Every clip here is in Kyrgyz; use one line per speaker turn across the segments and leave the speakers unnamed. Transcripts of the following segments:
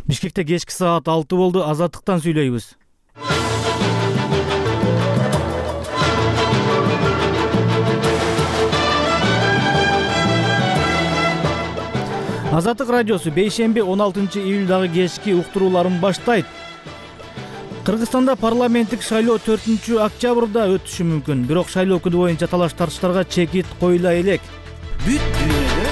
Бишкекте кечки саат 6 болду. Азаттыктан сүйлөйбүз. Азаттык радиосу бейшемби 16-июлдагы кечки уктурууларын баштайт. Кыргызстанда парламенттик шайлоо 4-октябрда өтүшү мүмкүн. Бирок шайлоо күнү боюнча талаш-тартыштарга чекит коюла элек.
Бүт дүйнөдө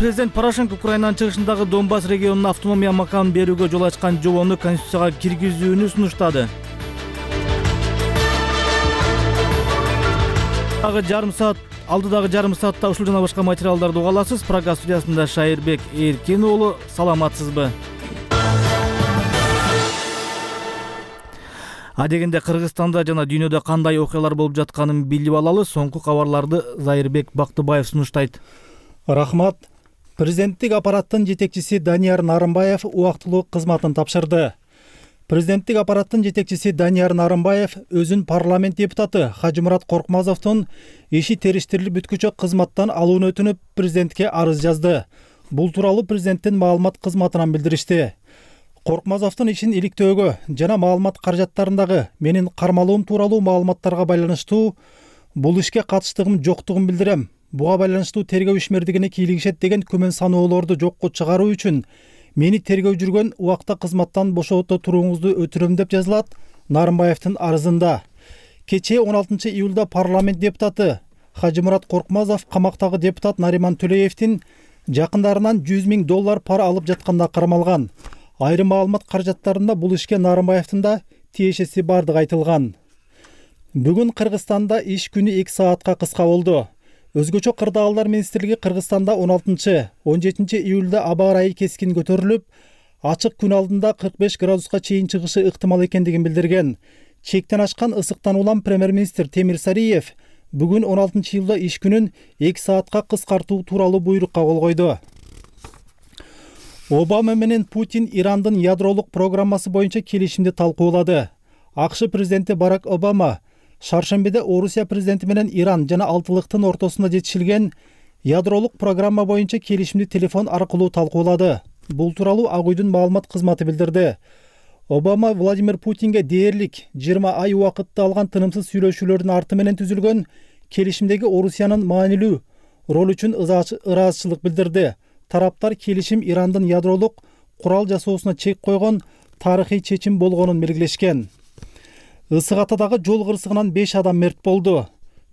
Президент Порошенко Украинанын чыгышындагы Донбасс регионуна автономия макамын берүүгө жол ачкан жобону Конституцияга киргизүүнү сунуштады. Алдыдагы жарым саатта ушул жана башка материалдарды уга аласыз. Прага студиясында Шайырбек Эркин уулу. Саламатсызбы? Адегенде Кыргызстанда жана дүйнөдө кандай окуялар болуп жатканын билип алалы. Соңку кабарларды Зайырбек Бактыбаев сунуштайт.
Рахмат. Президенттик аппараттын жетекчиси Данияр Нарымбаев убактылуу кызматын тапшырды. Президенттик аппараттын жетекчиси Данияр Нарымбаев өзүн парламент депутаты Хажымурат Коркмазовдун иши териштирилип бүткүчө кызматтан алууну өтүнүп президентке арыз жазды. Бул тууралуу президенттин маалымат кызматынан билдиришти. Коркмазовдун ишин иликтөөгө жана маалымат каражаттарындагы менин кармалуум тууралуу маалыматтарга байланыштуу бул ишке катыштыгым жоктугун билдирем. Буга байланыштуу тергөө ишмердигине кийлигишет деген күмөн саноолорду жокко чыгаруу үчүн мени тергөө жүргөн убакта кызматтан бошото турууңузду өтүнөм деп жазылат Нарымбаевдин арызында. Кечээ 16-июлда парламент депутаты Хажымурат Коркмазов камактагы депутат Нариман Төлөевдин жакындарынан $100,000 пара алып жатканда кармалган. Айрым маалымат каражаттарында бул ишке Нарымбаевдин да тиешеси бардыгы айтылган. Бүгүн Кыргызстанда иш күнү 2 саатка кыска болду. Өзгөчө кырдаалдар министрлиги Кыргызстанда 16-17 июлда аба ырайы кескин көтөрүлүп, ачык күн алдында 45 градуска чейин чыгышы ыктымал экендигин билдирген. Чектен ашкан ысыктан улам премьер-министр Темир Сариев бүгүн 16-июлда иш күнүн 2 саатка кыскартуу тууралуу буйрукка кол койду. Обама менен Путин Ирандын ядролук программасы боюнча келишимди талкуулады. АКШ президенти Барак Обама шаршембиде Орусия президенти менен Иран жана Алтылыктын ортосунда жетишилген ядролук программа боюнча келишимди телефон аркылуу талкуулады. Бул тууралуу Ак үйдүн маалымат кызматы билдирди. Обама Владимир Путинге дээрлик 20 ай убакытты алган тынымсыз сүйлөшүүлөрдүн арты менен түзүлгөн келишимдеги Орусиянын маанилүү ролу үчүн ыраазычылык билдирди. Тараптар келишим Ирандын ядролук курал жасоосуна чек койгон тарыхый чечим болгонун белгилешкен. Ысык Атадагы жол кырсыгынан 5 адам мерт болду.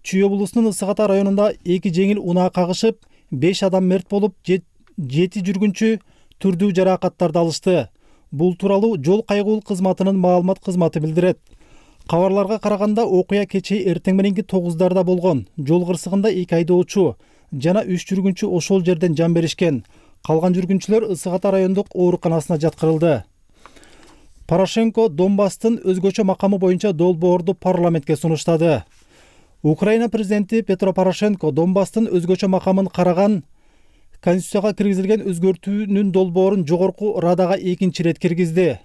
Чүй облусунун Ысык Ата районунда 2 жеңил унаа кагышып, 5 адам мерт болуп, 7 жүргүнчү түрдүү жаракаттарды алышты. Бул тууралуу жол кайгылуу кызматынын маалымат кызматы билдирет. Кабарларга караганда окуя кечээ эртең мененки 9дарда болгон. Жол кырсыгында 2 айдоочу жана 3 жүргүнчү ошол жерден жан беришкен. Калган жүргүнчүлөр Ысык Ата райондук ооруканасына жаткырылды. Порошенко Донбасстын өзгөчө макамы боюнча долбоорду парламентке сунуштады. Украина президенти Петро Порошенко Донбасстын өзгөчө макамын караган Конституцияга киргизилген өзгөртүүнүн долбоорун жогорку Радага 2-чи ирет киргизди.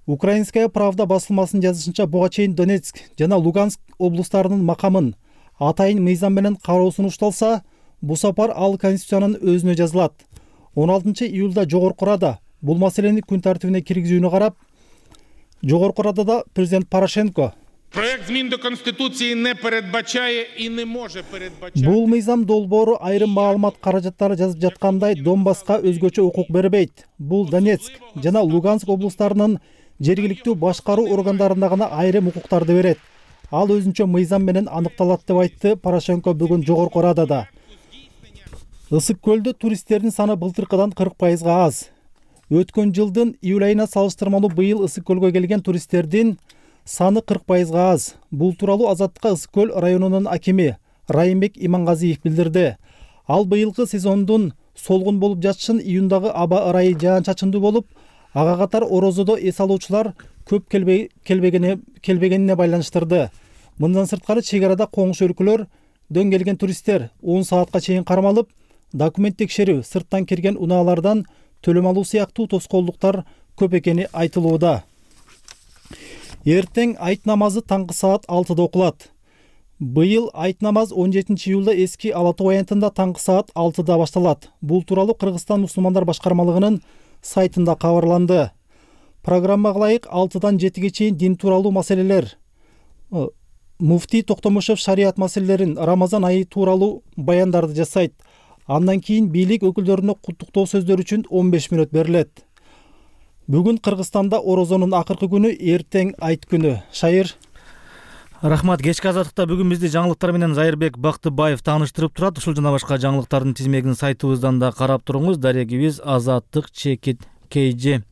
Украинская правда басылмасынын жазышынча буга чейин Донецк жана Луганск облустарынын макамын атайын мыйзам менен кароо сунушталса, бул сапар ал Конституциянын өзүнө жазылат. 16-июлда жогорку Рада бул маселени күн тартибине киргизүүнү карап, Жогорку Радада президент Порошенко
проект змін до Конституції не передбачає і не може передбачати.
Бул мыйзам долбоору айрым маалымат каражаттары жазып жаткандай Донбасска өзгөчө укук бербейт. Бул Донецк жана Луганск облустарынын жергиликтүү башкаруу органдарына гана айрым укуктарды берет. Ал өзүнчө мыйзам менен аныкталат деп айтты Порошенко бүгүн Жогорку Радада. Ысык көлдө туристтердин саны былтыркыдан 40% аз. Өткөн жылдын июль айына салыштырмалуу быйыл Ысык көлгө келген туристтердин саны 40% аз. Бул тууралуу Азаттыкка Ысык көл районунун акими Райымбек Имангазиев билдирди. Ал быйылкы сезондун солгун болуп жатышын июндагы аба ырайы жаан-чачындуу болуп, ага катар орозодо эс алуучулар көп келбегенине байланыштырды. Мындан сырткары чек арада коңуш өлкөлөрдөн келген туристтер 10 саатка чейин кармалып, документ текшерүү, сырттан кирген унаалардан төлөм алуу сыяктуу тоскоолдуктар көп экени айтылууда. Эртең айт намазы таңкы саат 6-да окулат. Быйыл айт намаз 17 июлда эски Ала Тоо аянтында таңкы саат 6-да башталат. Бул тууралуу Кыргызстан мусулмандар башкармалыгынын сайтында кабарланды. Программага ылайык 6-дан 7-ге чейин дин тууралуу маселелер, муфтий Токтомушев шарият маселелерин, Рамазан айы тууралуу баяндарды жасайт. Андан кийин бийлик өкүлдөрүнө куттуктоо сөздөр үчүн 15 мүнөт берилет. Бүгүн Кыргызстанда орозонун акыркы күнү, эртең айт күнү. Шайыр.
Рахмат. Кечки азаттыкта бүгүн бизди жаңылыктар менен Зайырбек Бактыбаев тааныштырып турат. Ушул жана башка жаңылыктардын тизмегин сайтыбыздан да карап туруңуз. Дарегибиз Азаттык Чекит KG.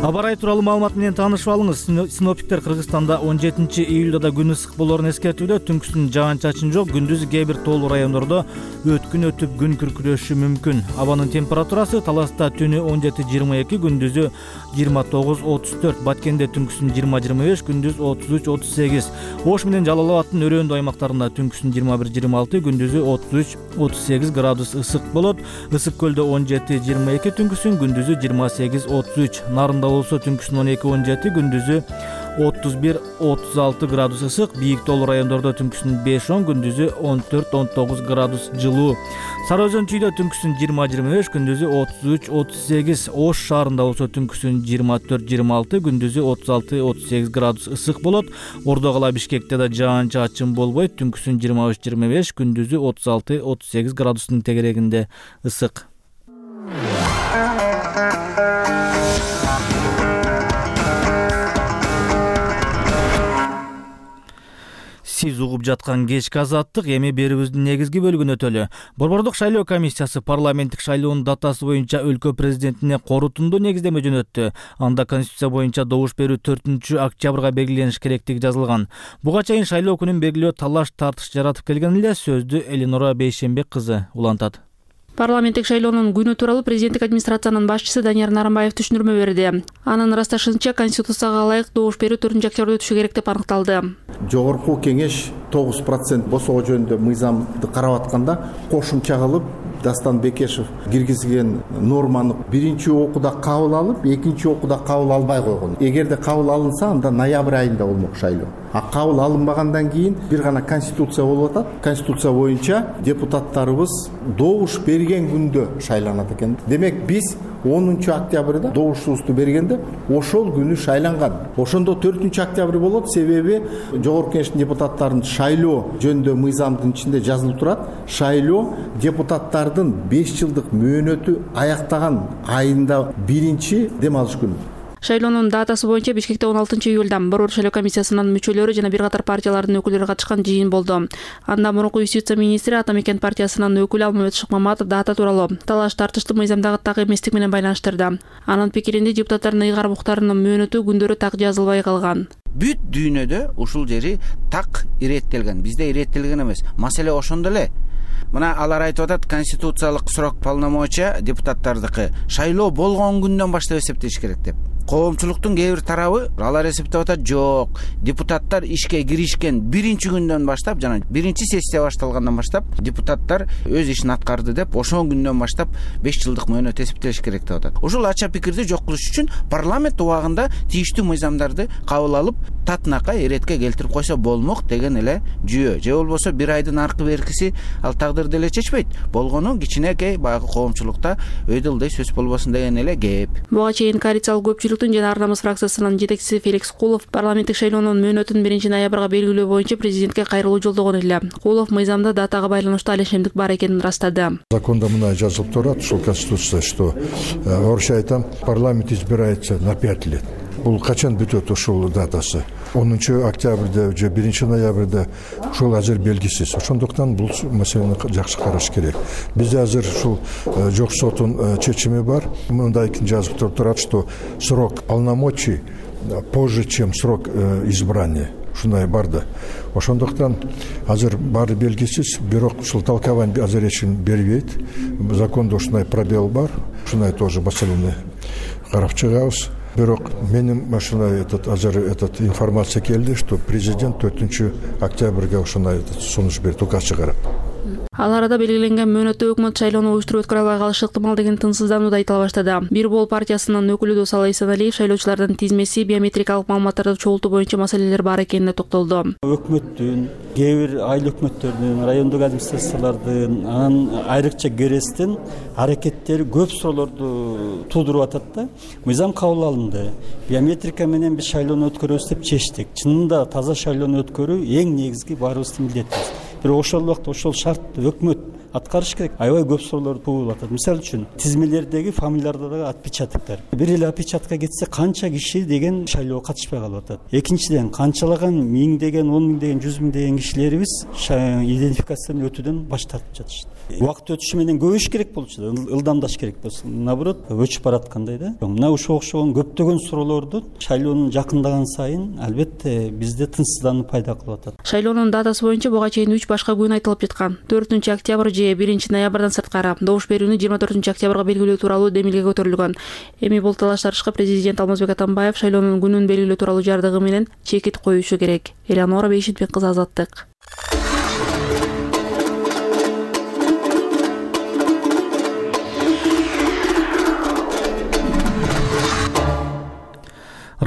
Аба ырайы тууралуу маалымат менен таанышып алыңыз. Синоптиктер Кыргызстанда 17 июлда да күн ысык болоорун эскертүүдө. Түнкүсүн жаан-чачын жок, күндүз кээ бир тоолуу райондордо өткүн өтүп күн күркүрөшү мүмкүн. Абанын температурасы Таласта түнү 17-22, күндүзү 29-34, Баткенде түнкүсүн 20-25, күндүз 33-38. Ош менен Жалал Абадтын өрөөндүү аймактарында түнкүсүн 21-26, күндүзү 33-38 градус ысык болот. Ысык көлдө 17-22, түнкүсүн, күндүзү 28-33. Нарында болсо түнкүсүн 12-17, күндүзү 31-36 градус ысык. Бийик тоолуу райондордо түнкүсүн 5-10, күндүзү 14-19 градус жылуу. Сары Өзөн чүйдө түнкүсүн 20-25, күндүзү 33-38. Ош шаарында болсо түнкүсүн 24-26, күндүзү 36-38 градус ысык болот. Ордо кала Бишкекте да жаан-чачын болбойт. Түнкүсүн 23-25, күндүзү 36-38 градустун тегерегинде ысык. Сиз угуп жаткан кечки азаттык, эми берүүбүздүн негизги бөлүгүнө өтөлү. Борбордук шайлоо комиссиясы парламенттик шайлоонун датасы боюнча өлкө президентине корутундуу негиздеме жөнөттү. Анда Конституция боюнча добуш берүү 4-октябрга белгилениш керектиги жазылган. Буга чейин шайлоо күнүн белгилөө талаш тартыш жаратып келген эле. Сөздү Элинора Бейшенбек кызы улантат.
Парламенттик шайлоонун күнү тууралуу президенттик администрациянын башчысы Данияр Нарымбаев түшүндүрмө берди. Анын ырасташынча, Конституцияга ылайык добуш берүү 4-октябрда өтүшү керек деп аныкталды.
Жогорку кеңеш 9% босоо жөнүндө мыйзамды карап атканда кошумча кылып Дастан Бекешев киргизген норманы биринчи окууда кабыл алып, экинчи окууда кабыл албай койгон. Эгерде кабыл алынса, анда ноябрь айында болмок шайлоо. А кабыл алынбагандан кийин бир гана конституция болуп атат. Конституция боюнча депутаттарыбыз добуш берген күндө шайланат экен. Демек биз 10 октябрда добушубузду бергенде ошол күнү шайланган. Ошондо 4 октябрь болот, себеби жогорку кеңештин депутаттарынын шайлоо жөнүндө мыйзамдын ичинде жазылып турат. Шайлоо депутаттардын 5 жылдык мөөнөтү аяктаган айында биринчи дем алыш күнү.
Шайлоонун датасы боюнча Бишкекте 16 июлда Борбор шайлоо комиссиясынын мүчөлөрү жана бир катар партиялардын өкүлдөрү катышкан жыйын болду. Анда мурунку юстиция министри Ата Мекен партиясынын өкүлү Алмамет Шыкмаматов дата тууралуу талаш тартышты мыйзамдагы так эместик менен байланыштырды. Анын пикиринде депутаттардын ыйгарым укуктарынын мөөнөтү күндөрү так жазылбай калган.
Бүт дүйнөдө ушул жери так иреттелген, бизде иреттелген эмес. Маселе ошондо эле. Мына алар айтып атат, конституциялык срок полномочия депутаттардыкы шайлоо болгон күндөн баштап эсептеш керек деп. Коомчулуктун кээ бир тарабы алар эсептеп атат, жок, депутаттар ишке киришкен биринчи күндөн баштап, жана биринчи сессия башталгандан баштап депутаттар өз ишин аткарды деп, ошол күндөн баштап 5 жылдык мөөнөт эсептелиш керек деп атат. Ушул ача пикирди жок кылыш үчүн парламент убагында тийиштүү мыйзамдарды кабыл алып, татынакай эретке келтирип койсо болмок деген эле жүйө. Же болбосо бир айдын аркы беркиси ал тагдыр деле чечпейт. Болгону кичинекей баягы коомчулукта өйдөлдөй сөз болбосун деген эле кеп.
Буга чейин коалициялык көпчүлүктүн жана Ар намыс фракциясынын жетекчиси Феликс Кулов парламенттик шайлоонун мөөнөтүн 1 ноябрга белгилөө боюнча президентке кайрылуу жолдогон эле. Кулов мыйзамда датага байланыштуу алешемдик бар экенин ырастады.
Законда мына жазылып турат, ушул конституция, что орусча айтам, парламент избирается на 5 лет. Бул качан бүтөт ушул датасы? 10 октябрда же 1 ноябрда ушул азыр белгисиз. Ошондуктан бул маселени жакшы караш керек. Бизде азыр ушул жок соттун чечими бар. Мындай жазып турат, что срок полномочий позже, чем срок избрания. Ушундай бар да. Ошондуктан азыр баары белгисиз, бирок ушул талкабан азыр эчим бербейт. Закондо ушундай пробел бар. Ушундай тоже маселени карап чыгабыз. Бирок менин ушундай азыр информация келди, что президент 4 октябрга ушундай сунуш берди, указ чыгарат.
Ал арада белгиленген мөөнөттө өкмөт шайлоону уюштуруп өткөрө албай калышы ыктымал деген тынчсыздануу да айтыла баштады. Бир бол партиясынын өкүлү Досалы Эсеналиев шайлоочулардын тизмеси, биометрикалык маалыматтарды чогултуу боюнча маселелер бар экенине токтолду.
Өкмөттүн, кээ бир айыл өкмөттөрдүн, райондук администрациялардын, анан айрыкча КРСтин аракеттери көп суроолорду туудуруп атат да. Мыйзам кабыл алынды. Биометрика менен биз шайлоону өткөрөбүз деп чечтик. Чынында таза шайлоону өткөрүү эң негизги баарыбыздын милдетибиз. Бирок ошол убакта ошол шартты өкмөт аткарыш керек. Аябай көп суроолор туулуп атат. Мисалы үчүн тизмелердеги фамилияларда дагы отпечатоктор. Бир эле отпечатка кетсе канча киши деген шайлоого катышпай калып атат. Экинчиден канчалаган миңдеген, 10 миңдеген, 100 миңдеген кишилерибиз идентификациядан өтүүдөн баш тартып жатышты. Убакыт өтүшү менен көбөйүш керек болчу да, ылдамдаш керек болсо. Наоборот, өчүп бараткандай да. Мына ушуга окшогон көптөгөн суроолорду шайлоонун жакындаган сайын албетте бизде тынчсыздануу пайда кылып атат.
Шайлоонун датасы боюнча буга чейин 3 башка күн айтылып жаткан. 4 октябрь же 1 ноябрдан сырткары добуш берүүнү 24 октябрга белгилөө тууралуу демилге көтөрүлгөн. Эми бул талаш-тарышка президент Алмазбек Атамбаев шайлоонун күнүн белгилөө тууралуу жардыгы менен чекит коюшу керек. Элеонора Бейшитбек кызы, Азаттык.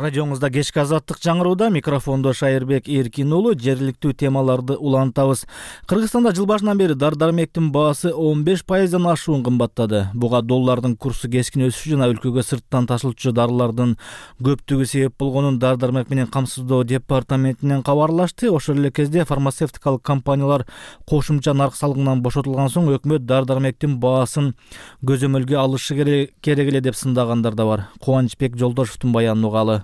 Радиоңузда кечки Азаттык жаңырууда, микрофондо Шайырбек Эркин уулу. Жергиликтүү темаларды улантабыз. Кыргызстанда жыл башынан бери дар-дармектин баасы 15%дан ашуун кымбаттады. Буга доллардын курсу кескин өсүшү жана өлкөгө сырттан ташылчу дарылардын көптүгү себеп болгонун дар-дармек менен камсыздоо департаментинен кабарлашты. Ошол эле кезде фармацевтикалык компаниялар кошумча нарк салыгынан бошотулган соң өкмөт дар-дармектин баасын көзөмөлгө алышы керек эле деп сындагандар да бар. Кубанычбек Жолдошевдун баянын угалы.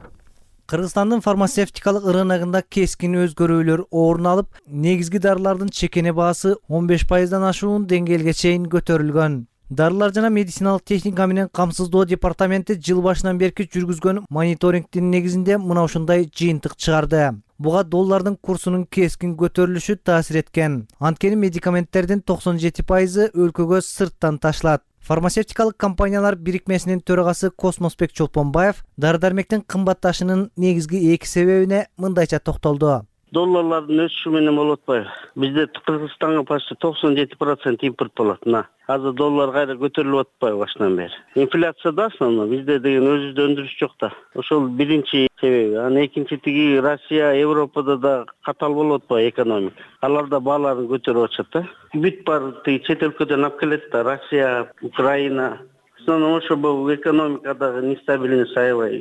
Кыргызстандын фармацевтикалык рыногунда кескин өзгөрүүлөр орун алып, негизги дарылардын чекене баасы 15%дан ашуун деңгээлге чейин көтөрүлгөн. Дарылар жана медициналык техника менен камсыздоо департаменти жыл башынан бери жүргүзгөн мониторингдин негизинде мына ушундай жыйынтык чыгарды. Буга доллардын курсунун кескин көтөрүлүшү таасир эткен. Анткени медикаменттердин 97% өлкөгө сырттан ташылат. Фармацевтикалык компаниялар бирикмесинин төрагасы Космосбек Чолпонбаев дар-дармектин кымбатташынын негизги 2 себебине мындайча токтолду.
Долларлардын өсүшү менен болуп атпайбы? Бизде Кыргызстанга почти 97% импорт болот. Азыр доллар кайра көтөрүлүп атпайбы башынан бери? Инфляция да основной, бизде деген өзүбүздө өндүрүш жок да. Ошол биринчи себеби. Анан экинчи тиги Россия, Европада да катал болуп атпайбы экономика. Алар да бааларын көтөрүп атышат да. Бүт бар тиги чет өлкөдөн алып келет да, Россия, Украина. Ошо бул экономикадагы нестабильность аябай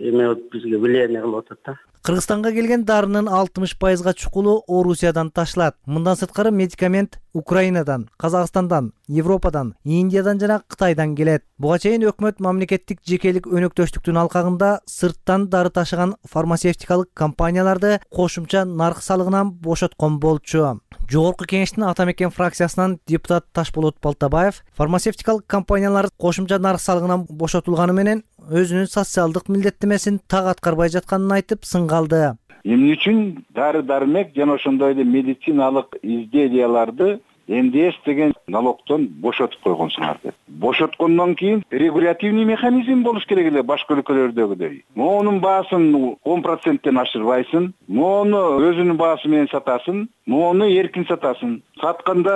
бизге влияние кылып атат да.
Кыргызстанга келген дарынын 60%га чукулу Орусиядан ташылат. Мындан сырткары медикамент Украинадан, Казакстандан, Европадан, Индиядан жана Кытайдан келет. Буга чейин өкмөт мамлекеттик жекелик өнөктөштүктүн алкагында сырттан дары ташыган фармацевтикалык компанияларды кошумча нарк салыгынан бошоткон болчу. Жогорку кеңештин Ата Мекен фракциясынан депутат Ташболот Балтабаев фармацевтикалык компаниялар кошумча нарк салыгынан бошотулганы менен өзүнүн социалдык милдеттемесин так аткарбай жатканын айтып сынгалды.
Эмне үчүн дары-дармек жана ошондой эле медициналык изделияларды НДС деген налогтон бошотуп койгонсуңар деп. Бошоткондон кийин регулятивный механизм болуш керек эле башка өлкөлөрдөгүдөй. Моонун баасын 10%тен ашырбайсың, моону өзүнүн баасы менен сатасың, моону эркин сатасың. Сатканда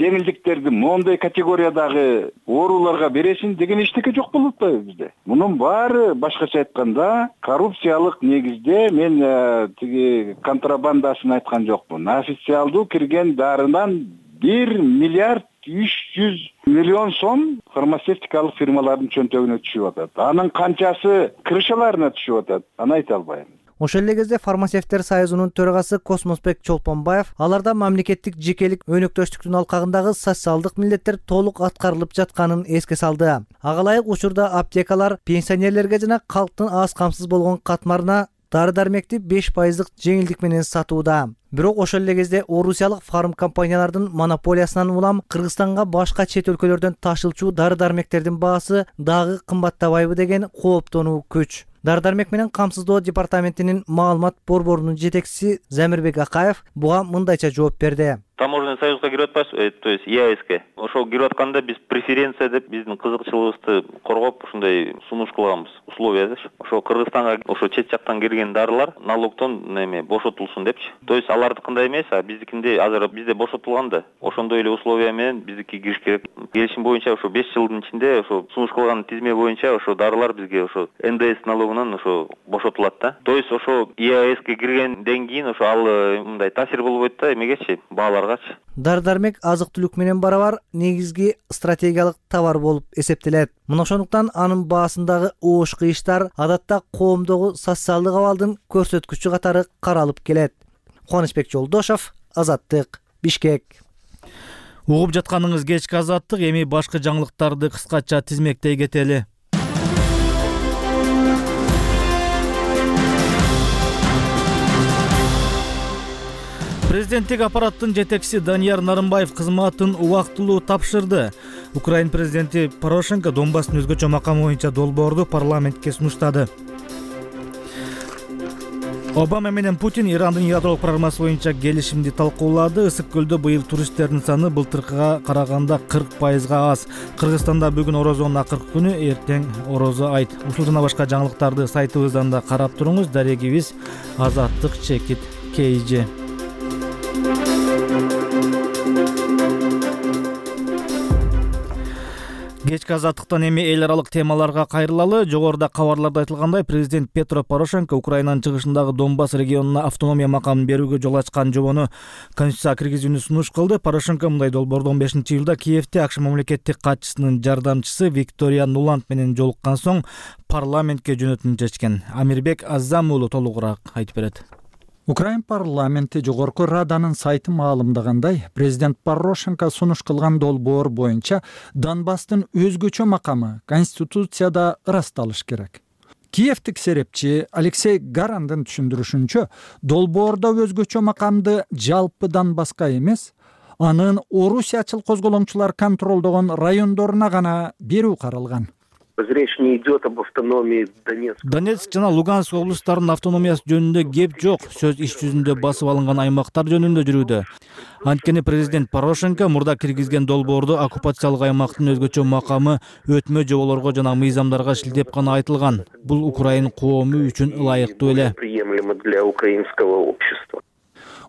жеңилдиктерди моундай категориядагы ооруларга бересиң деген эчтеке жок болуп атпайбы бизде. Мунун баары башкача айтканда коррупциялык негизде, мен тиги контрабандасын айткан жокмун. Официалдуу кирген дарынан 1 миллиард 300 миллион сом фармацевтикалык фирмалардын чөнтөгүнө түшүп атат. Анын канчасы крышаларына түшүп атат, аны айта албайм.
Ошол эле кезде фармацевттер союзунун төрагасы Космосбек Чолпонбаев аларда мамлекеттик жекелик өнөктөштүктүн алкагындагы социалдык милдеттер толук аткарылып жатканын эске салды. Ага ылайык учурда аптекалар пенсионерлерге жана калктын аз камсыз болгон катмарына дары-дармекти 5% жеңилдик менен сатууда. Бирок ошол эле кезде орусиялык фарм компаниялардын монополиясынан улам Кыргызстанга башка чет өлкөлөрдөн ташылчу дары-дармектердин баасы дагы кымбаттабайбы деген кооптонуу күч. Дары-дармек менен камсыздоо департаментинин маалымат борборунун жетекчиси Замирбек Акаев буга мындайча жооп берди.
Таможенный союзга кирип атпайбыз, то есть ЕАЭСке. Ошол кирип атканда биз преференция деп биздин кызыкчылыгыбызды коргоп ушундай сунуш кылганбыз, условия. Ошо Кыргызстанга ошо чет жактан кирген дарылар налогтон бошотулсун депчи. То есть алардыкындай эмес, а биздикинде азыр бизде бошотулган да. Ошондой эле условия менен биздики кириш керек. Келишим боюнча ошо 5 жылдын ичинде ошо сунуш кылган тизме боюнча ошо дарылар бизге ошо НДС налогунан ошо бошотулат да. То есть ошо ЕАЭСке киргенден кийин ошо ал мындай таасир болбойт да эмегечи, бааларгачы.
Дары-дармек азык-түлүк менен барабар негизги стратегиялык товар болуп эсептелет. Мына ошондуктан анын баасындагы оош кыйыштар адатта коомдогу социалдык абалдын көрсөткүчү катары каралып келет. Кубанычбек Жолдошов, Азаттык, Бишкек.
Угуп жатканыңыз кечки Азаттык, эми башка жаңылыктарды кыскача тизмектей кетели. Президенттик аппараттын жетекчиси Данияр Нарымбаев кызматын убактылуу тапшырды. Украин президенти Порошенко Донбасстын өзгөчө макамы боюнча долбоорду парламентке сунуштады. Обама менен Путин Ирандын ядролук программасы боюнча келишимди талкуулады. Ысык көлдө быйыл туристтердин саны былтыркыга караганда 40% аз. Кыргызстанда бүгүн Орозонун акыркы күнү, эртең Орозо айт. Ушул жана башка жаңылыктарды сайтыбыздан да карап туруңуз. Дарегибиз Азаттык Чекит KG. Кечки Азаттыктан эми эл аралык темаларга кайрылалы. Жогоруда кабарларда айтылгандай, президент Петро Порошенко Украинанын чыгышындагы Донбасс регионуна автономия макамын берүүгө жол ачкан жобону Конституцияга киргизүүнү сунуш кылды. Порошенко мындай долбоорду 15-июлда Киевде АКШ мамлекеттик катчысынын жардамчысы Виктория Нуланд менен жолуккан соң парламентке жөнөтүүнү чечкен. Амирбек Аззам уулу толугураак айтып берет.
Украин парламенти Жогорку Раданын сайты маалымдагандай, президент Порошенко сунуш кылган долбоор боюнча Донбасстын өзгөчө макамы Конституцияда ырасталыш керек. Киевтик серепчи Алексей Гарандын түшүндүрүшүнчө, долбоордо өзгөчө макамды жалпы Донбасска эмес, анын орусиячыл козголоңчулар контролдогон райондоруна гана берүү каралган.
Речь не идет об автономии Донецка.
Донецк жана Луганск облустарынын автономиясы жөнүндө кеп жок. Сөз иш жүзүндө басып алынган аймактар жөнүндө жүрүүдө. Анткени президент Порошенко мурда киргизген долбоордо оккупациялык аймактын өзгөчө макамы өтмө жоболорго жана мыйзамдарга шилдеп гана айтылган. Бул Украин коому үчүн ылайыктуу эле.
Приемлемо для украинского общества.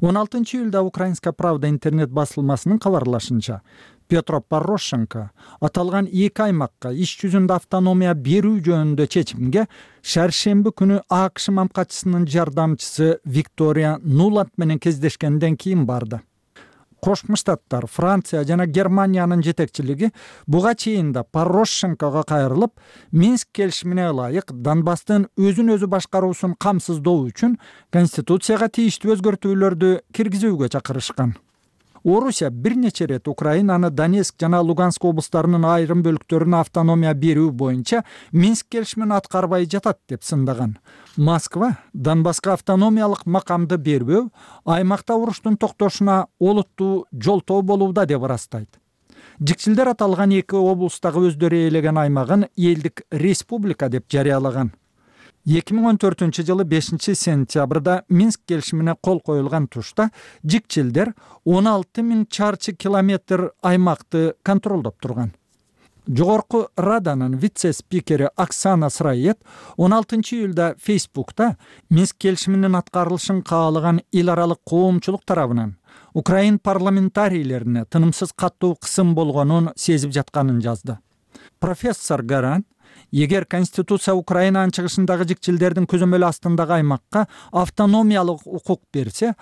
16-июлда Украинская правда интернет басылмасынын кабарлашынча, Петро Порошенко аталган эки аймакка иш жүзүндө автономия берүү жөнүндө чечимге шаршемби күнү АКШ мамкатчысынын жардамчысы Виктория Нуланд менен кездешкенден кийин барды. Кошмо Штаттар, Франция жана Германиянын жетекчилиги буга чейин да Порошенкого кайрылып, Минск келишимине ылайык Донбасстын өзүн өзү башкаруусун камсыздоо үчүн Конституцияга тийиштүү өзгөртүүлөрдү киргизүүгө чакырышкан. Орусия бир нече рет Украинаны Донецк жана Луганск облустарынын айрым бөлүктөрүнө автономия берүү боюнча Минск келишимин аткарбай жатат деп сындаган. Москва Донбасска автономиялык макамды бербөө аймакта уруштун токтошуна олуттуу жолтоо болууда деп ырастайт. Жикчилдер аталган эки облустагы өздөрү ээлеген аймагын элдик республика деп жарыялаган. 2014-жылы 5-сентябрда Минск келишимине кол коюлган тушта жикчилдер 16 000 чарчы километр аймакты контролдоп турган. Жогорку Раданын вице-спикери Оксана Сырает 16-июлда Фейсбукта Минск келишиминин аткарылышын каалаган эл аралык коомчулук тарабынан Украин парламентарийлерине тынымсыз каттуу кысым болгонун сезип жатканын жазды. Профессор Гаран, эгер Конституция Украинанын чыгышындагы жикчилдердин көзөмөлү астындагы аймакка автономиялык укук берсе,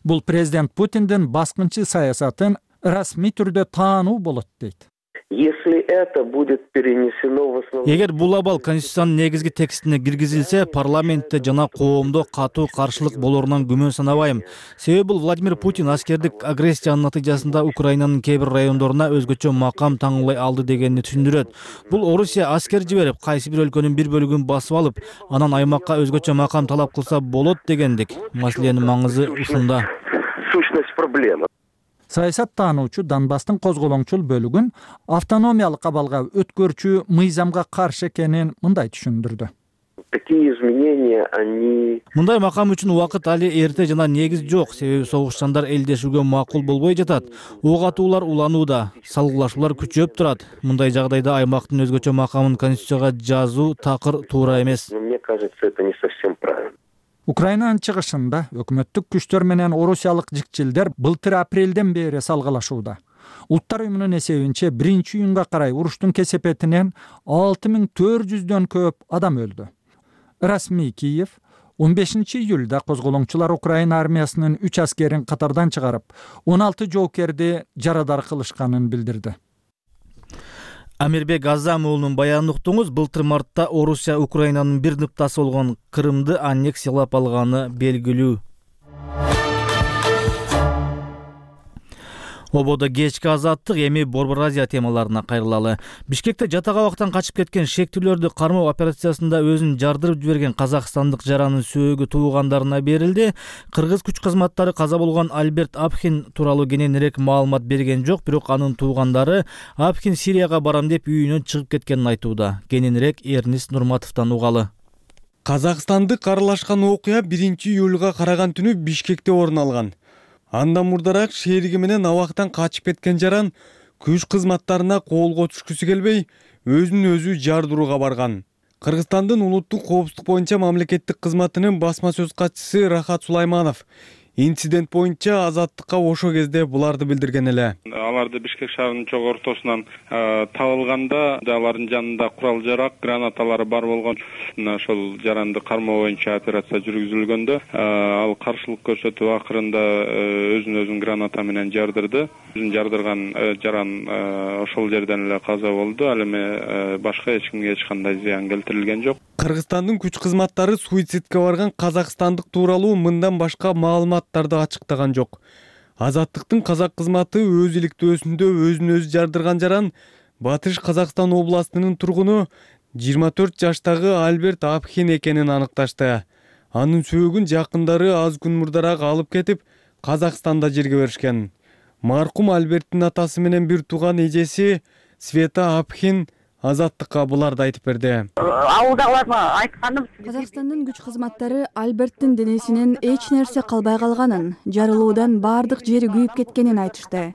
бул президент Путиндин баскынчы саясатын расмий түрдө таануу болот дейт.
Если это будет перенесено в основном...
Эгер бул абал Конституциянын негизги текстине киргизилсе, парламентте жана коомдо катуу каршылык болорунан күмөн санабайм. Себеби бул Владимир Путин аскердик агрессиянын натыйжасында Украинанын кээ бир райондоруна өзгөчө макам таңуулай алды дегенди түшүндүрөт. Бул Орусия аскер жиберип, кайсы бир өлкөнүн бир бөлүгүн басып алып, анан аймакка өзгөчө макам талап кылса болот дегендик. Маселенин маңызы ушунда.
Сущность проблемы.
Саясат таануучу Донбасстын козголоңчул бөлүгүн автономиялык абалга өткөрчү мыйзамга каршы экенин мындай түшүндүрдү.
Такие изменения, они...
Мындай макам үчүн убакыт али эрте жана негиз жок, себеби согушчандар элдешүүгө макул болбой жатат. Ок атуулар уланууда, салгылашуулар күчөп турат. Мындай жагдайда аймактын өзгөчө макамын конституцияга жазуу такыр туура эмес.
Но мне кажется, это не совсем правильно.
Украинанын чыгышында өкмөттүк күчтөр менен орусиялык жикчилдер былтыр апрелден бери салгылашууда. Улуттар уюмунун эсебинче 1-июнга карай уруштун кесепетинен 6400дөн көп адам өлдү. Расмий Киев 15-июлда козголоңчулар Украина армиясынын 3 аскерин катардан чыгарып, 16 жоокерди жарадар кылышканын билдирди.
Амирбек Азам уулунун баянын уктуңуз. Былтыр мартта Орусия Украинанын бир ныктасы болгон Крымды аннексиялап алганы белгилүү. Ободо кечки азаттык, эми Борбор Азия темаларына кайрылалы. Бишкекте жатак-абактан качып кеткен шектүүлөрдү кармоо операциясында өзүн жардырып жиберген казакстандык жаранын сөөгү туугандарына берилди. Кыргыз күч кызматтары каза болгон Альберт Апхин тууралуу кененирээк маалымат берген жок, бирок анын туугандары Апхин Сирияга барам деп үйүнөн чыгып кеткенин айтууда. Кененирээк Эрнис Нурматовдон угалы.
Казакстандык аралашкан окуя 1-июлга караган түнү Бишкекте орун алган. Андан мурдараак шериги менен абактан качып кеткен жаран күч кызматтарына колго түшкүсү келбей, өзүн өзү жардырууга барган. Кыргызстандын улуттук коопсуздук боюнча мамлекеттик кызматынын басма сөз катчысы Рахат Сулайманов инцидент боюнча Азаттыкка ошол кезде буларды билдирген эле.
Аларды Бишкек шаарынын чок ортосунан табылганда алардын жанында курал жарак, гранаталары бар болгон. Ошол жаранды кармоо боюнча операция жүргүзүлгөндө ал каршылык көрсөтүп акырында өзүн граната менен жардырды. Өзүн жардырган жаран ошол жерден эле каза болду. Ал эми башка эч кимге эч кандай зыян келтирилген жок.
Кыргызстандын күч кызматтары суицидке барган казакстандык тууралуу мындан башка маалыматтарды ачыктаган жок. Азаттыктын казак кызматы өз иликтөөсүндө өзүн өзү жардырган жаран Батыш Казакстан областынын тургуну 24 жаштагы Альберт Апхин экенин аныкташты. Анын сөөгүн жакындары аз күн мурдараак алып кетип, Казакстанда жерге беришкен. Маркум Альберттин атасы менен бир тууган эжеси Света Апхин Азаттыкка буларды айтып берди.
Ауылдагыларга айтканым, Казакстандын күч кызматтары Альберттин денесинен эч нерсе калбай калганын, жарылуудан бардык жери күйүп кеткенин айтышты.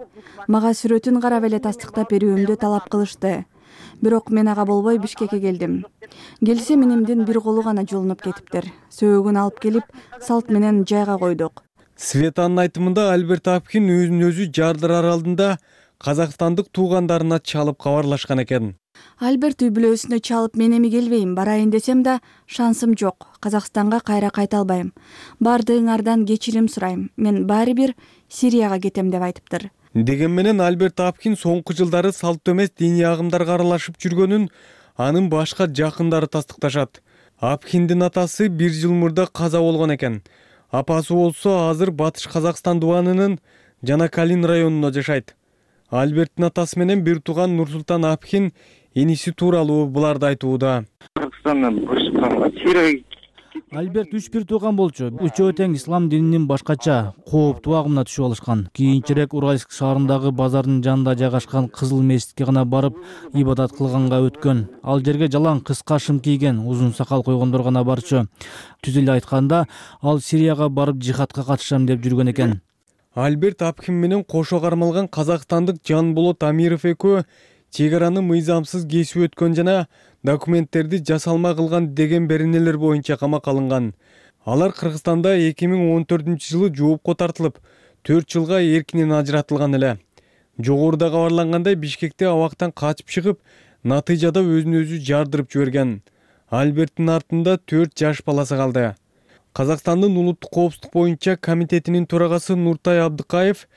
Мага сүрөтүн карап эле тастыктап берүүмдү талап кылышты. Бирок мен ага болбой Бишкекке келдим. Келсе менимдин бир колу гана жолунуп кетиптир. Сөөгүн алып келип, салт менен жайга койдук.
Светанын айтымында Альберт Апхин өзүн өзү жардырар алдында казакстандык туугандарына чалып кабарлашкан экен.
Альберт үй бүлөсүнө чалып мен эми келбейм, барайын десем да шансым жок. Казакстанга кайра кайта албайм. Бардыгыңардан кечирим сурайм. Мен баары бир Сирияга кетем деп айтыптыр.
Деген менен Альберт Апхин соңку жылдары салттуу эмес диний агымдарга аралашып жүргөнүн анын башка жакындары тастыкташат. Апхиндин атасы 1 жыл мурда каза болгон экен. Апасы болсо азыр Батыш Казакстан дубанынын Жанакалин районунда жашайт. Альберттин атасы менен бир тууган Нурсултан Апхин иниси тууралуу буларды айтууда.
Альберт 3 тууган болчу. Үчөө тең ислам дининин башкача кооптуу агымына түшүп алышкан. Кийинчерээк Уральск шаарындагы базардын жанында жайгашкан Кызыл мечитке гана барып ибадат кылганга өткөн. Ал жерге жалаң кыска шым кийген, узун сакал койгондор гана барчу. Түз эле айтканда, ал Сирияга барып жихадка катышам деп жүргөн экен.
Альберт Апхин менен кошо кармалган казакстандык Жанболот Амиров экөө чек араны мыйзамсыз кесип өткөн жана документтерди жасалма кылган деген беренелер боюнча камакка алынган. Алар Кыргызстанда 2014-жылы жоопко тартылып, 4 жылга эркинен ажыратылган эле. Жогоруда кабарлангандай Бишкекте абактан качып чыгып, натыйжада өзүн өзү жардырып жиберген. Альберттин артында 4 жаш баласы калды. Казакстандын улуттук коопсуздук боюнча комитетинин төрагасы Нуртай Абдыкаев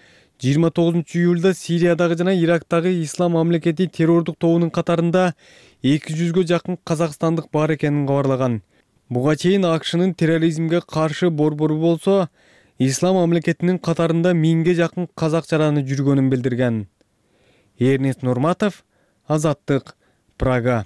29-июлда Сириядагы жана Ирактагы Ислам мамлекети террордук тобунун катарында 200-гө жакын казакстандык бар экенин кабарлаган. Буга чейин АКШнын терроризмге каршы борбору болсо, Ислам мамлекетинин катарында 1000ге жакын казак жараны жүргөнүн билдирген. Эрнис Нурматов, Азаттык, Прага.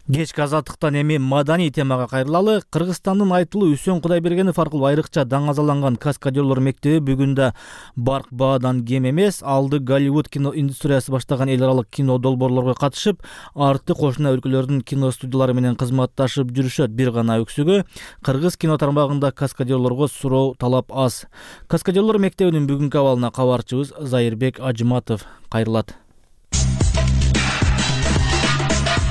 Кечки азаттыктан эми маданий темага кайрылалы. Кыргызстандын айтылуу Үсөн Кудайбергенов аркылуу айрыкча даңазаланган каскадерлор мектеби бүгүн да барк баадан кем эмес. Алды Голливуд кино индустриясы баштаган эл аралык кино долбоорлорго катышып, арты кошуна өлкөлөрдүн кино студиялары менен кызматташып жүрүшөт. Бир гана өксүгү кыргыз кино тармагында каскадерлорго суроо талап аз. Каскадерлор мектебинин бүгүнкү абалына кабарчыбыз Зайырбек Ажыматов кайрылат.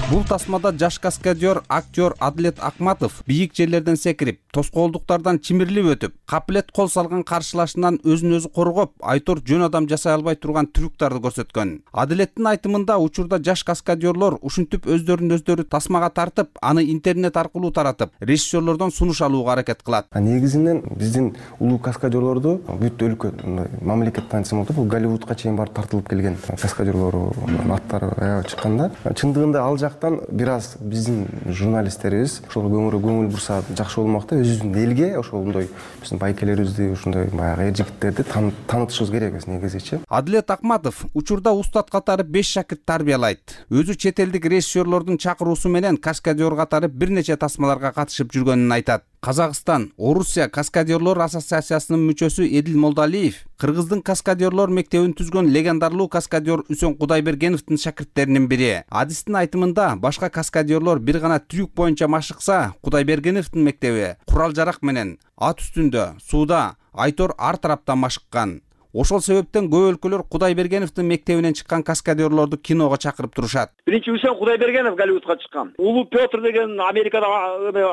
Бул тасмада жаш каскадер актер Адилет Акматов бийик жерлерден секирип, тоскоолдуктардан чимирлип өтүп, капилет кол салган каршылашынан өзүн өзү коргоп, айтор жөн адам жасай албай турган трюктарды көрсөткөн. Адилеттин айтымында учурда жаш каскадерлор ушинтип өздөрүн тасмага тартып, аны интернет аркылуу таратып, режиссерлордон сунуш алууга аракет кылат.
Негизинен биздин улуу каскадерлорду бүт өлкө мамлекет таанысым болуп, бул Голливудка чейин барып тартылып келген каскадерлор аттары аябай чыкканда, чындыгында ал бир аз биздин журналисттерибиз ошол көңүл бурса жакшы болмок да, өзүбүздүн элге ошондой биздин байкелерибизди, ошондой баягы эр жигиттерди таанытышыбыз керекпиз негизичи.
Адилет Акматов учурда устат катары 5 шакирт тарбиялайт. Өзү чет элдик режиссерлордун чакыруусу менен каскадер катары бир нече тасмаларга катышып жүргөнүн айтат. Казакстан, Орусия каскадерлор ассоциациясынын мүчөсү Эдил Молдалиев Кыргыздын каскадерлор мектебин түзгөн легендарлуу каскадер Үсөн Кудайбергеновдун шакирттеринин бири. Адистин айтымында башка каскадерлор бир гана трюк боюнча машыкса, Кудайбергеновдун мектеби курал-жарак менен ат үстүндө, сууда, айтор ар тараптан машыккан. Ошол себептен көп өлкөлөр Кудайбергеновдун мектебинен чыккан каскадерлорду киного чакырып турушат.
Биринчи Үсөн Кудайбергенов Голливудка чыккан. Улуу Петр деген Америкада,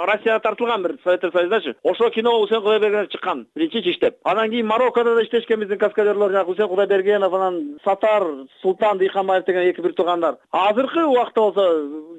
Россияда тартылган бир Советтер Союзундачы. Ошол киного Үсөн Кудайбергенов чыккан. Биринчи иштеп. Анан кийин Мароккодо да иштешкен биздин каскадерлор, Үсөн Кудайбергенов, анан Сатар, Султан Дыйханбаев деген эки бир туугандар. Азыркы убакта болсо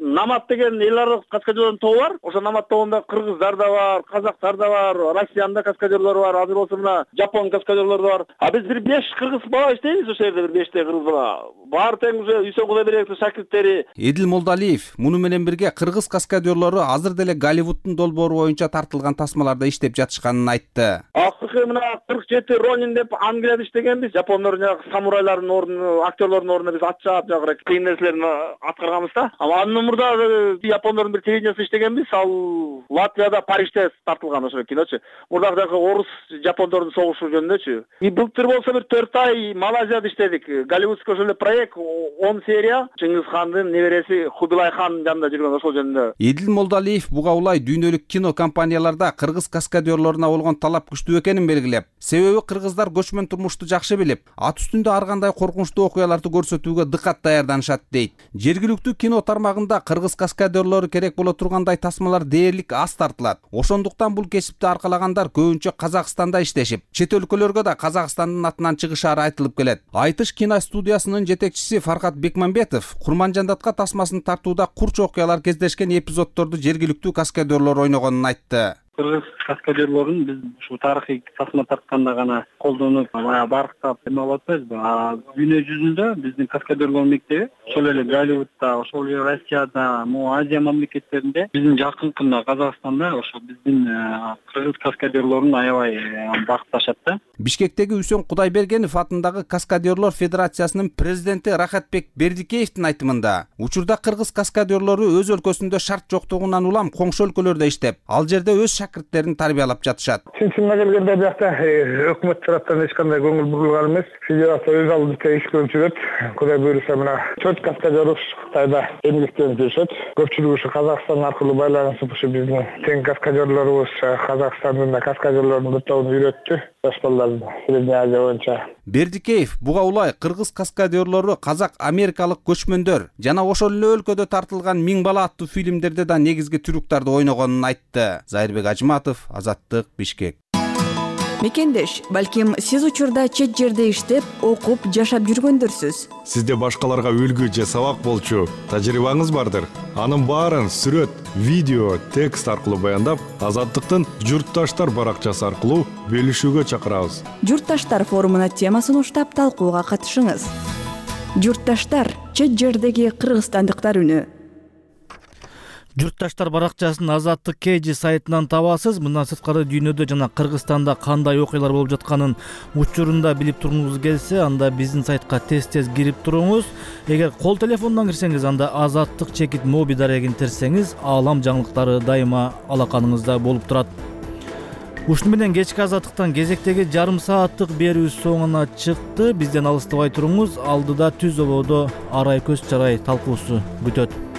Намат деген эл аралык каскадерлордун тобу бар. Ошо Намат тобунда кыргыздар да бар, казактар да бар, Россиянын да каскадерлору бар, азыр болсо мына Жапон каскадерлору бар. А биз 5 кыргыз бала иштейбиз ошол жерде, бир 5 кыргыз бала. Баары тең уже Үсөн Кудайбергеновдун шакирттери.
Эдил Молдалиев муну менен бирге кыргыз каскадерлору азыр деле Голливуддун долбоору боюнча тартылган тасмаларда иштеп жатышканын айтты.
Акыркы мына 47 Ронин деп Англияда иштегенбиз. Жапондордун самурайлардын ордуна, актерлордун ордуна биз ат чаап жагыра кыйын нерселерди аткарганбыз да. Анын мурда Япондордун бир телевидениясында иштегенбиз. Ал Латвияда, Парижде тартылган ошол киночу. Мурдагы орус жапондордун согушу жөнүндөчү. Былтыр болсо бир 4 ай Малайзияда иштедик. Голливудский ошол эле проект 10 серия. Чыңгыз хандын небереси Хубилай хан жанында жүргөн ошол жөнүндө.
Эдил Молдалиев буга улай дүйнөлүк кино компанияларда кыргыз каскадерлоруна болгон талап күчтүү экенин белгилеп, себеби кыргыздар көчмөн турмушту жакшы билип, ат үстүндө ар кандай коркунучтуу окуяларды көрсөтүүгө дыкат даярданышат дейт. Жергиликтүү кино тармагында кыргыз каскадерлору керек боло тургандай тасмалар дээрлик аз тартылат. Ошондуктан бул кесипти аркалагандар көбүнчө Казакстанда иштешип, чет өлкөлөргө да Казакстандын атынан чыгышары айтылып келет. Айтыш кино студиясынын жетекчиси Фаркат Бекмамбетов Курманжандатка тасмасын тартууда курч окуялар кездешкен эпизоддорду жергиликтүү каскадерлор ойногонун айтты.
Кыргыз каскадерлорун биз ушу тарыхый тасма тартканда гана колдонуп, барктап эме болуп атпайбызбы? Дүйнө жүзүндө биздин каскадерлор мектеби ошол эле Голливудда, ошол эле Россияда, Азия мамлекеттеринде, биздин жакынкында Казакстанда ошо биздин кыргыз каскадерлорун аябай бакташат да.
Бишкектеги Үсөн Кудайбергенов атындагы Каскадерлор Федерациясынын президенти Рахатбек Бердикеевдин айтымында, учурда кыргыз каскадерлору өз өлкөсүндө шарт жоктугунан улам коңшу өлкөлөрдө иштеп, ал жерде өз шакирттерин тарбиялап жатышат.
Чынына келгенде биякта өкмөт тараптан эч кандай көңүл бурулган эмес. Федерация өз алдынча иш көрүп жүрөт. Кудай буйруса мына 4 каскадер Кытайда эмгектенип жүрүшөт. Көпчүлүгү ушу Казакстан аркылуу байланышып, ушу биздин тең каскадерлорубуз Казакстандын да каскадерлордун бир тобун үйрөттү. Жаш балдарды Средняя Азия боюнча.
Бердикеев буга улай кыргыз каскадерлору казак-америкалык көчмөндөр жана ошол эле өлкөдө тартылган 1000 бала аттуу фильмдерде да негизги трюктарды ойногонун айтты. Зайырбек Ажыматов, Азаттык, Бишкек.
Мекендеш, балким сиз учурда чет жерде иштеп, окуп, жашап жүргөндөрсүз.
Сизде башкаларга үлгү же сабак болчу тажрыйбаңыз бардыр. Анын баарын сүрөт, видео, текст аркылуу баяндап, Азаттыктын Журтташтар баракчасы аркылуу бөлүшүүгө чакырабыз.
Журтташтар форумуна тема сунуштап талкууга катышыңыз. Журтташтар — чет жердеги кыргызстандыктар үнү.
Журтташтар баракчасын Азаттык KG сайтынан табасыз. Мындан сырткары дүйнөдө жана Кыргызстанда кандай окуялар болуп жатканын учурунда билип тургуңуз келсе, анда биздин сайтка тез кирип туруңуз. Эгер кол телефондон кирсеңиз, анда Азаттык чекит моби дарегин терсеңиз, аалам жаңылыктары дайыма алаканыңызда болуп турат. Ушуну менен кечки Азаттыктан кезектеги жарым сааттык берүү соңуна чыкты. Бизден алыстабай туруңуз. Алдыда түз ободо арай көз чарай талкуусу күтөт.